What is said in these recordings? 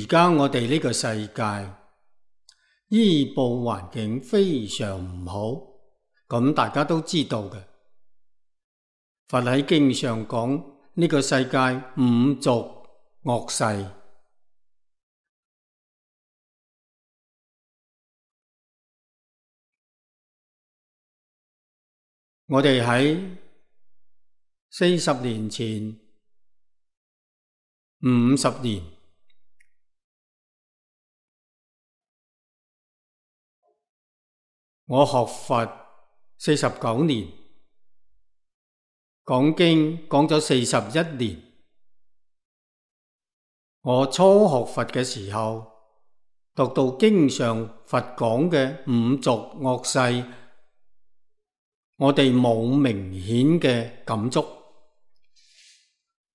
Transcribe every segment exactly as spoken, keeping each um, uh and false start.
而家我哋呢個世界醫報環境非常唔好，咁大家都知道嘅。佛喺經上講呢個世界五濁惡世，我哋喺四十年前、五十年，我學佛四十九年，講經講咗四十一年。我初學佛嘅時候，讀到經上佛講嘅五濁惡世，我哋冇明顯嘅感觸。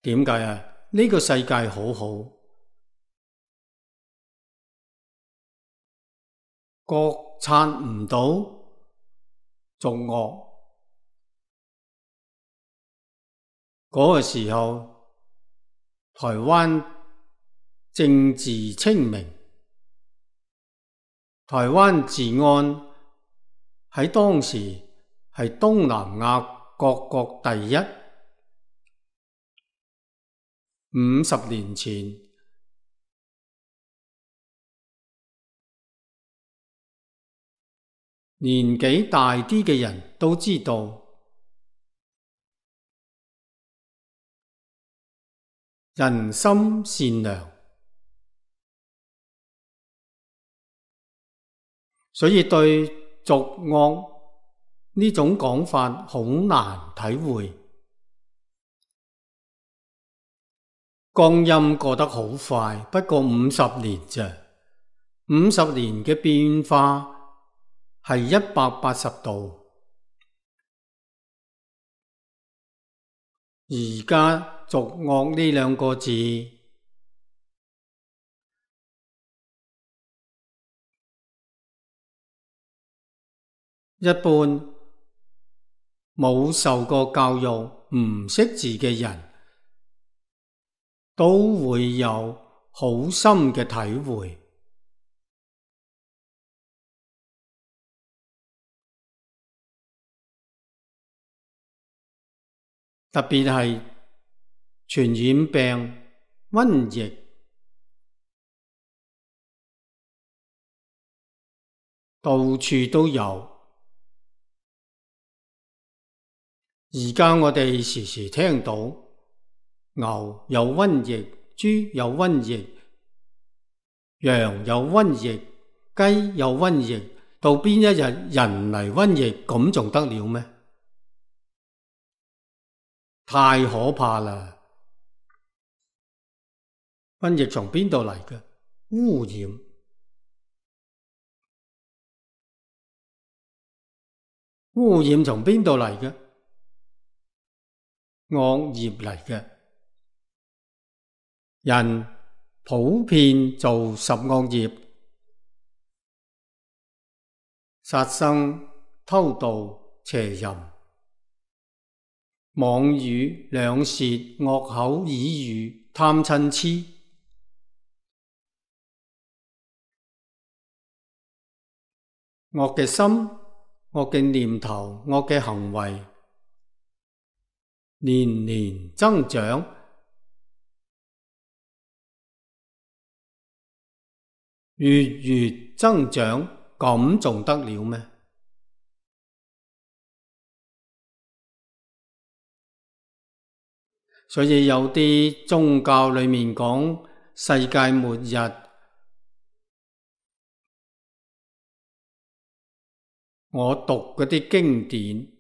點解啊？呢個世界好好，覺察唔到濁惡。嗰個時候，台灣政治清明，台灣治安喺當時係東南亞各國第一。五十年前，年紀大啲嘅人都知道，人心善良，所以對濁惡呢種講法好難體會。光陰過得好快，不過五十年啫。五十年嘅變化係一百八十度。而家濁惡呢兩個字，一般冇受過教育、唔識字嘅人，都會有好深嘅體會。特別係傳染病、瘟疫，到處都有。而家我哋時時聽到牛有瘟疫，豬有瘟疫，羊有瘟疫，雞有瘟疫，到邊一日人嚟瘟疫，咁仲得了咩？太可怕啦！瘟疫從邊度嚟嘅？污染。污染從邊度嚟嘅？惡業嚟嘅。人普遍做十惡業：殺生、偷盜、邪淫、妄語、兩舌、惡口、綺語、貪嗔癡。惡嘅心、惡嘅念頭、惡嘅行為，年年增長，月月增長，咁仲得了咩？所以有啲宗教裏面講世界末日，我讀嗰啲經典，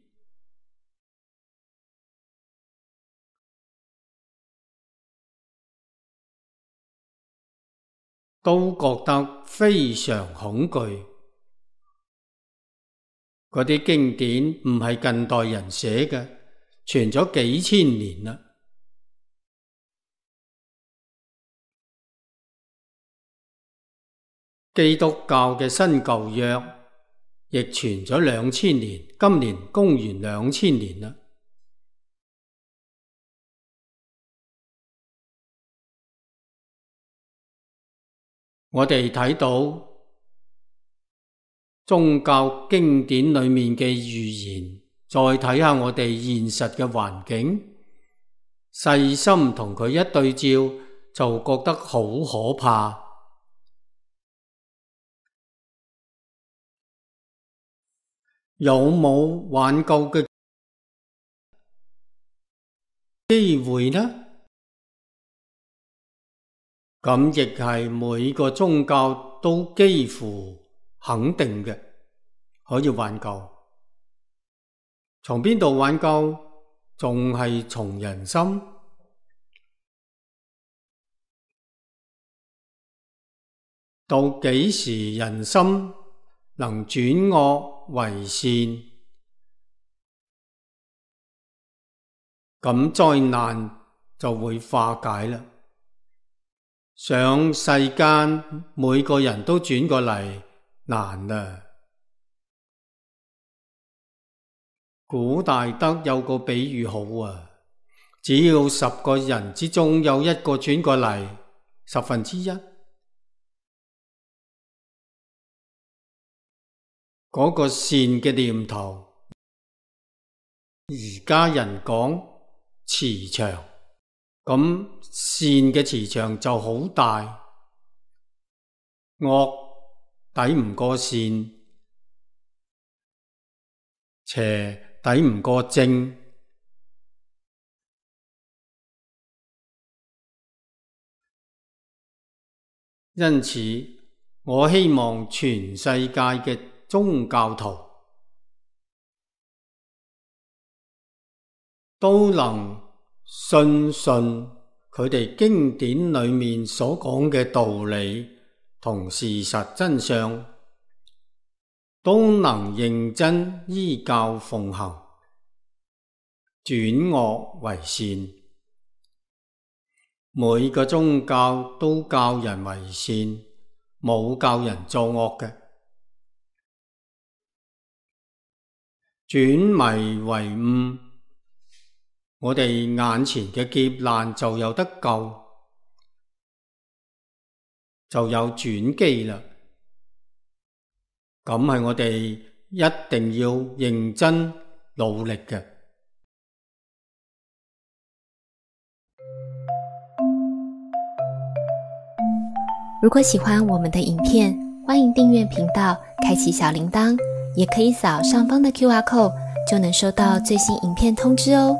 都覺得非常恐懼。嗰啲經典唔係近代人寫嘅，傳咗幾千年啦。基督教嘅新舊約亦傳咗兩千年，今年公元兩千年啦。我哋睇到宗教經典裏面嘅預言，再睇下我哋現實嘅環境，細心同佢一對照，就覺得好可怕。有冇挽救嘅機會呢？咁亦係每個宗教都幾乎肯定嘅，可以挽救。從邊度挽救？仲係從人心。到幾時人心能轉惡為善，咁災難就會化解啦。想世間每個人都轉過嚟，難啦。古大德有個比喻好啊，只要十個人之中有一個轉過嚟，十分之一，嗰個善嘅念頭，而家人講磁場，咁善嘅磁場就好大，惡抵唔過善，邪抵唔過正。因此，我希望全世界嘅宗教徒都能信信佢哋經典裏面所講嘅道理同事實真相，都能認真依教奉行，轉惡為善。每個宗教都教人為善，冇教人作惡嘅。轉迷為悟，我哋眼前嘅劫難就有得救，就有轉機啦。咁係我哋一定要認真努力嘅。如果喜歡我們的影片，歡迎訂閱頻道，開啟小鈴鐺，也可以掃上方的 Q R code，就能收到最新影片通知哦。